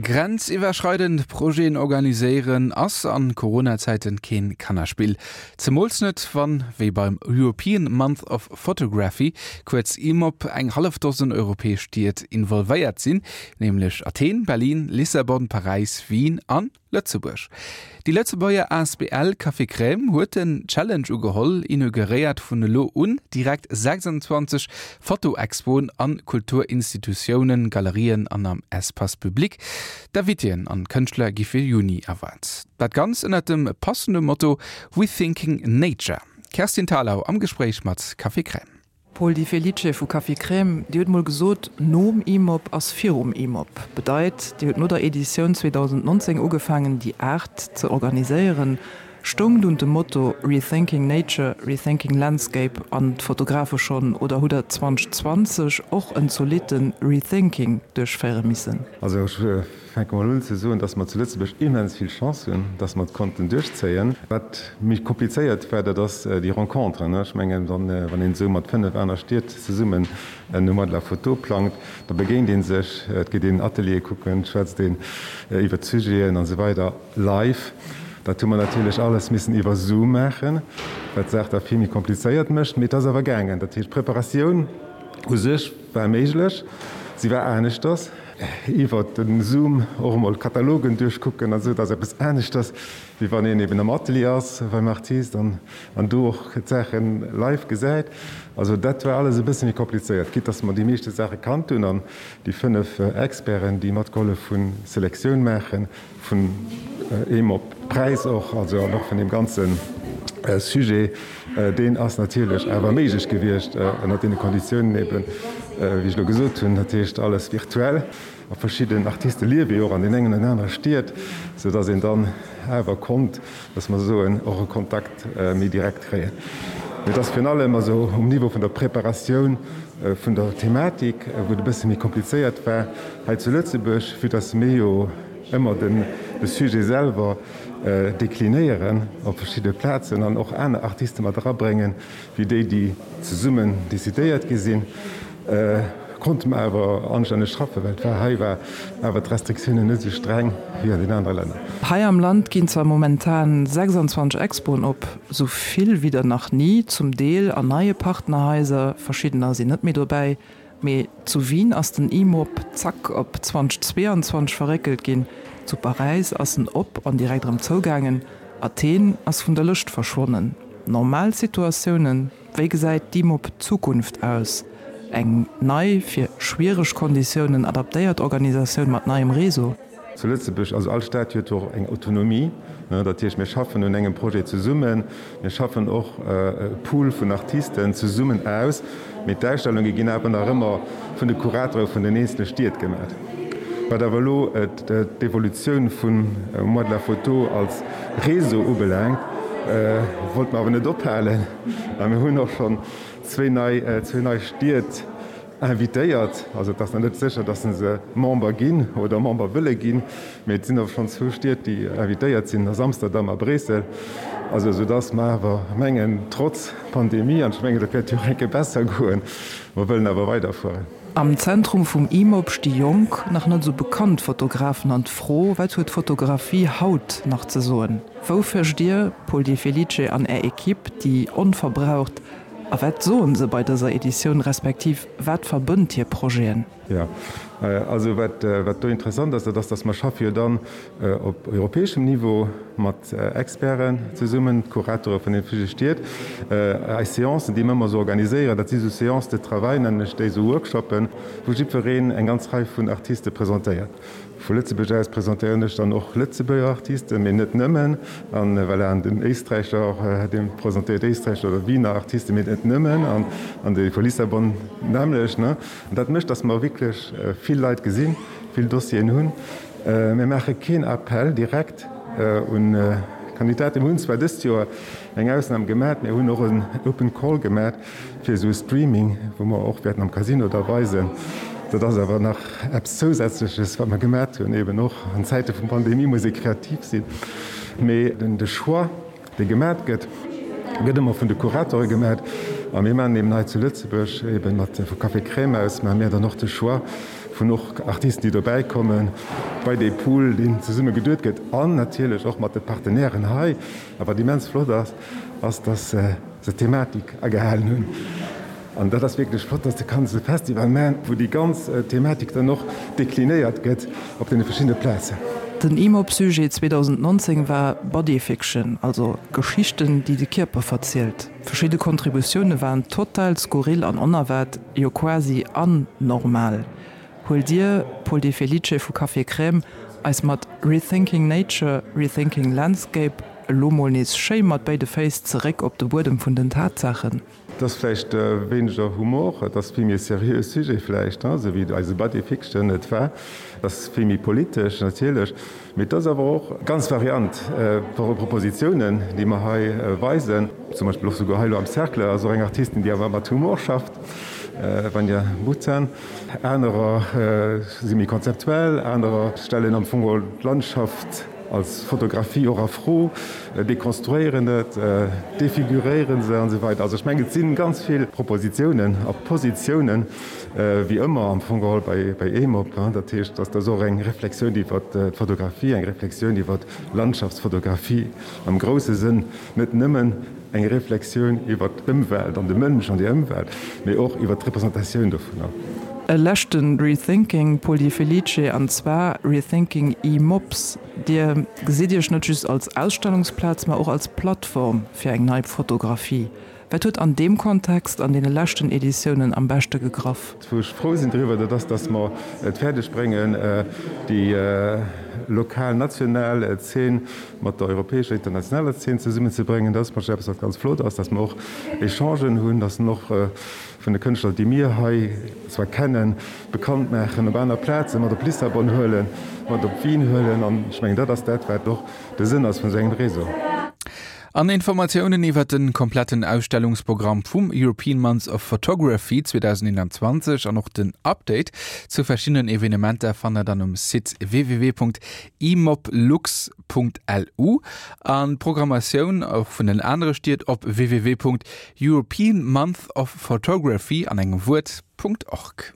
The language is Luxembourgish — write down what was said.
Grenziwwerschreidend Projeten organiséieren ass an Corona-Zäiten keen Kannerspill. Zemools net wann, wéi beim European Month of Photography, kuerz EMOP, eng hallef Dosen europäesch Stied involvéiert sinn, nämlech Athen, Berlin, Lissabon, Paräis, Wien an Lëtzebuerg. Déi Lëtzebuerger asbl Café Crème huet den Challenge ugeholl, inauguréiert vun elo un direkt 26 Fotoexpoen an Kulturinstitutiounen, Galerien an am Espace public. D'Invitéen an d'Kënschtler gi fir Juni erwaart. Dat Ganz ënnert dem passende Motto Rethinking Nature. D'Kerstin Thalau am Gespréich mat Café Crème. Paul Di Felice vu Café Crème, Dir hutt mol gesot, nom IMOP ass virum IMOP. Bedeit, Dir hutt no der Editioun 2019 ugefaangen, déi Aart ze organiséieren. Stoung dunn de Motto Rethinking Nature, Rethinking Landscape an d'Fotografe schonn oder hutt Der 2020 och en zolitte Rethinking duerchféiere missen? Also ech fänke mol un ze soen, dass mer zu Lëtzebuerg immens vill Chance hunn, dass mer et konnten duerchzéien. Wat méi komplizéiert war, dat ass déi Rencontre. Ech mengen, wann een esou mat 5 aner Stied zesummen en Mois de la Photo plangt, da begéint ee sech, et geet een Ateliere kucken, et schwätzt een iwwert d'Sujeten an esou weider live. Dat hu mer natierlech alles missen iwwer Zoom maachen, wat d'Saach da vill méi komplizéiert mécht. Mee et ass awer gaangen. Dat heescht, d'Preparatioun u sech war méiglech, si war aneschters. Iwwer de Zoom och emol Katalogen duerchkucken an esou, dat ass eppes aneschters, wéi wann een eben am Atelier ass beim Artist an do och d'Saache live gesäit. Also dat war alles e bësse méi komplizéiert, quitte dass mer déi meeschte Saache kannt hunn an déi 5 Experten, déi matgehollef hunn, Selektioun maachen, vun EMOP-Präis och, also an och vun deem ganze Sujet, deen ass natierlech awer méiglech gewiescht ënnert deene Konditiounen eben, wéi ech elo gesot hunn, dat heescht alles virtuell. A verschidden Artiste liewe jo och an deenen engen an anere Stied, soudass een dann awer konnt, dass mer soen, och e Kontakt méi direkt kréien. Mee et ass virun allem also um Niveau vun der Preparatioun vun der Thematik, wou et e bësse méi komplizéiert war hei zu Lëtzebuerg, vue dass mir jo ëmmer de Sujet selwer deklinéieren op verschidde Plazen an och aner Artiste mat erabréngen, wéi déi, déi zesummen decidéiert gi sinn. Konnte mer awer anstänneg schaffen, well et war hei war awer d'Restriktiounen net esou streng wéi an den anere Länner. Hei am Land ginn zwar momentan 26 Expoen op, sou vill wéi der nach ni, zum Deel an neie Partnerhaiser, verschiddener sinn net méi dobäi, mee zu Wien ass den IMOP zack op 2022 verréckelt ginn, zu Paräis ass en op an direkt erëm zougaangen, Athen ass vun der Lëscht verschwonnen. Normal Situatiounen? Wéi gesäit d'IMOP Zukunft aus? Eng nei, fir schwiereg Konditiounen adaptéiert Organisatioun mat neiem Réseau? Zu Lëtzebuerg, also all Stad huet och eng Autonomie, dat heescht mir schaffen un engem Projet zesummen, mir schaffen och e Pool vun Artisten zesummen aus, mee d'Ausstellunge ginn awer nach ëmmer vun de Kuratore vun den eenzele Stied gemaach. Wat awer elo d'Evolutioun vum Mois de la Photo als Réseau ubelaangt, wollte mer awer net ophalen a mir hunn och schonn zwéi nei, zwéi nei Stied invitéiert. Also et ass nach net sécher, datt se Member ginn oder Member wëlle ginn, mee et sinn awer schonn zwou Stied, déi invitéiert sinn, dat ass Amsterdam a Bréissel. Also soudatt mer awer mengen, trotz Pandemie, an ech mengen, dat wäert jo och eng Kéier besser goen, mer wëllen awer weiderfueren. Am Zentrum vum IMOP sti jonk, nach net esou bekannt Fotografen an d'Fro, Wat huet d'Fotografie haut nach ze soen? Wou fëscht Dir, Paul Di Felice, an Är Equipe déi onverbraucht a wat soen se bei dëser Editioun, respektiv wat verbënnt hir Projeten? Jo, also wat do interessant ass, dat ass, datt mer schaffe jo dann op europäeschem Niveau mat Experten zesummen, d'Kuratore vun den verschiddene Stied. Eis Seancen, déi mer ëmmer esou organiséieren, dat si sou Séances de travail, nennen ech déi, esou Workshoppen, wou jiddwereen eng ganz Rei vun Artiste presentéiert. Vu Lëtzebuerg aus presentéieren ech dann och Lëtzebuerger Artisten, mee net nëmmen. An voilà, an den Éisträicher, dee presentéiert Éisträicher oder Wiener Artisten, mee net nëmmen. An dee vu Lissabon d'nämmlecht. An dat mécht, datt mer wierklech vill Leit gesinn, vill Dossieren hunn. Mir maache keen Appell direkt un Kandidaten. Mir hunn zwar dëst Joer eng Ausnam gemat, mir hunn och en Open Call gemat fir esou e Streaming, wou mer och wäerten am Casino da weisen. Dat ass awer nach eppes Zousätzleches, wat mer gemat hunn. Eben och an Zäite vun Pandemie muss ee kreativ sinn. Mee de Choix, dee gemat gëtt, gëtt ëmmer vun de Kuratore gemat. A mir maachen eben hei zu Lëtzebuerg, eben mat vu Café Crème aus, maache mir dann och de Choix. vun och Artisten, déi dobäi kommen, bei dee Pool, deen zesumme geduet gëtt an natierlech och mat de Partenairen hei. A wat immens flott ass, ass, dass se d'Thematik agehalen hunn. An dat ass wierklech flott, dass de kanns e Festival maachen, wou déi ganz Thematik dann och deklinéiert gëtt op deene verschiddene Plazen. Den IMOP-Sujet 2019 war Body Fiction, also Geschichten, déi de Kierper verzielt. Verschidde Kontributioune waren total skurril an onerwaart, jo quasi anormal. Huelt Dir, Paul De Felice vu Café Crème, eis mat Rethinking Nature, Rethinking Landscape elo mol nees schéi mat béide Féiss zeréck op de Buedem vun den Tatsaachen? Et ass vläicht wéineger Humor, et ass vill méi e seriöe Sujet vläicht, esou wéi eise Body Fiction et war. Et ass vill méi politesch natierlech, mee et ass awer och ganz variant Propositionen, déi mer hei weisen. Zum Beispill och souguer hei elo am Cercle ass och eng Artistin, déi awer mat Humor schafft, Vanja Bucan. Anerer si méi konzeptuell, anerer stellen am Fong geholl d'Landschaft als Fotografie och a Fro, dekonstruéieren et, defiguréieren se an esou weider. Also ech mengen, et si ganz vill Propositionen a Positiounen, wéi ëmmer am Fong geholl bei EMOP. Dat heescht, dass dat och eng Reflexioun iwwer d'Fotografie, eng Reflexioun iwwer d'Landschaftsfotografie am grousse Sënn, net nëmmen eng Reflexioun iwwer d'Ëmwelt an de Mënsch an déi Ëmwelt, mee och iwwer d'Representatioun dovunner. E leschten Rethinking, Paul Di Felice, an zwar Rethinking e-Mops. Dir gesitt Iech net just als Ausstellungsplaz, ma och als Plattform fir eng nei Fotografie. Wat huet an deem Kontext an deene leschten Editiounen am beschte gegraff? Wou ech frou sinn driwwer, dat ass, dass mer et fäerdeg bréngen, déi lokal, national Zeen mat der europäescher, internationaler Zeen zesummenzebréngen. Dat ass mech eppes, wat ganz flott ass, dass mer och Echangen hunn, dass en och vun de Kënschtler, déi mir hei zwar kennen, bekannt maachen op aner Plazen, mat op Lissabon huelen, mat op Wien huelen. An ech mengen, dat ass dat, wat och de Sënn ass vun esou engem Réseau. An Informatiounen iwwer de kompletten Ausstellungsprogramm vum European Month of Photography 2021 an och den Update zu verschiddenen Evenementer fannt der dann um Site www.imoplux.lu an d'Programmatioun och vun den anere Stied op www.europeanmonthofphotography an engem Wuert.org.